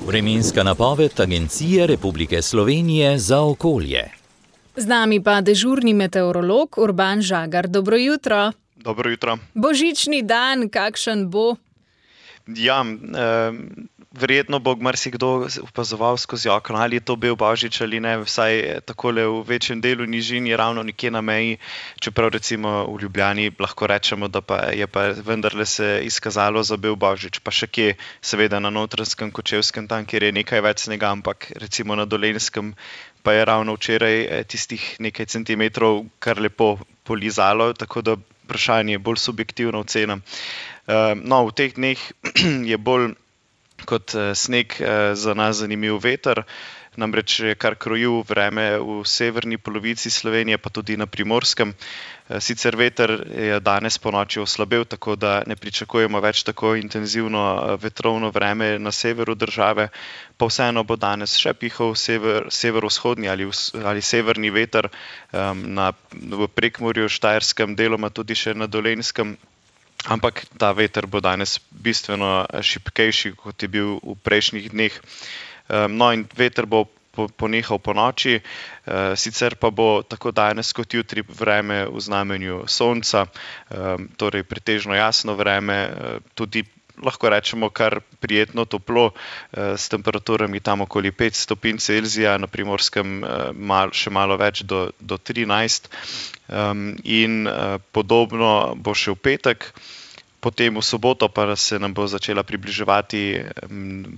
Vremenska napoved Agencije Republike Slovenije za okolje. Z nami pa dežurni meteorolog Urban Žagar. Dobro jutro. Dobro jutro. Božični dan, kakšen bo? Ja, verjetno bo marsikdo opazoval skozi okno, ali je to bil Božič ali ne, vsaj takole v večjem delu nižin je ravno nekje na meji, čeprav recimo v Ljubljani lahko rečemo, da pa je pa vendarle se izkazalo za bil Božič, pa še kje, seveda na Notranjskem, Kočevskem, tam, kjer je nekaj več snega, ampak recimo na Dolenjskem pa je ravno včeraj tistih nekaj centimetrov kar lepo polizalo, tako da vprašanje je bolj subjektivna ocena. No, v teh dneh je bolj kot sneg za nas zanimiv veter, namreč je kar krojil vreme v severni polovici Slovenije, pa tudi na Primorskem. Sicer veter je danes ponoči oslabel, tako da ne pričakujemo več tako intenzivno vetrovno vreme na severu države, pa vseeno bo danes še pihal severovzhodni ali severni veter v Prekmurju, Štajerskem, deloma tudi še na Dolenjskem. Ampak ta veter bo danes bistveno šibkejši, kot je bil v prejšnjih dneh. No in veter bo ponehal po noči, sicer pa bo tako danes kot jutri vreme v znamenju sonca, torej pretežno jasno vreme, tudi lahko rečemo kar prijetno toplo, s temperaturami tam okoli 5 stopinj Celzija, na Primorskem še malo več do 13. In podobno bo še v petek. Potem v soboto pa se nam bo začela približevati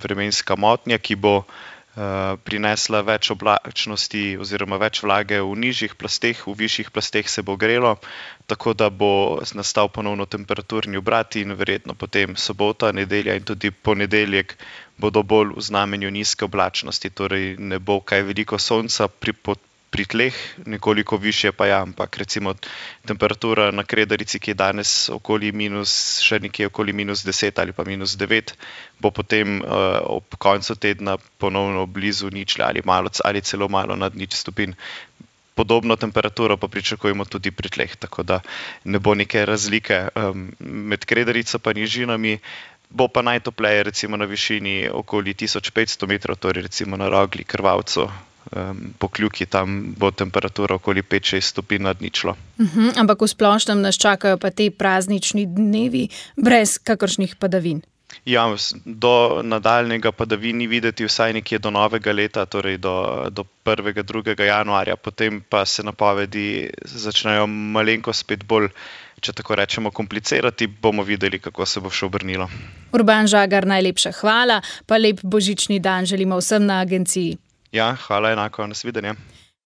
vremenska motnja, ki bo prinesla več oblačnosti oziroma več vlage v nižjih plasteh, v višjih plasteh se bo grelo, tako da bo nastal ponovno temperaturni obrat in verjetno potem sobota, nedelja in tudi ponedeljek bodo bolj v znamenju nizke oblačnosti, torej ne bo kaj veliko sonca pri tleh, nekoliko višje pa ja, ampak recimo temperatura na Kredarici, ki je danes še nekje okoli -10 ali pa -9, bo potem ob koncu tedna ponovno blizu ničle ali celo malo nad 0 stopinj. Podobno temperaturo pa pričakujemo tudi pri tleh, tako da ne bo neke razlike med Kredarico pa nižinami. Bo pa najtopleje recimo na višini okoli 1500 metrov, torej recimo na Rogli, Krvavcu, Pokljuki, tam bo temperatura okoli 5-6 stopinj nad ničlo. Ampak v splošnem nas čakajo pa te praznični dnevi brez kakršnih padavin. Ja, do nadaljnjega padavin ni videti vsaj nekje do novega leta, torej do 1. 2. januarja, potem pa se napovedi začnejo malenkost spet bolj, če tako rečemo, komplicirati, bomo videli, kako se bo še obrnilo. Urban Žagar, najlepša hvala, pa lep božični dan želimo vsem na agenciji. Ja, hvala enako, nasvidenje.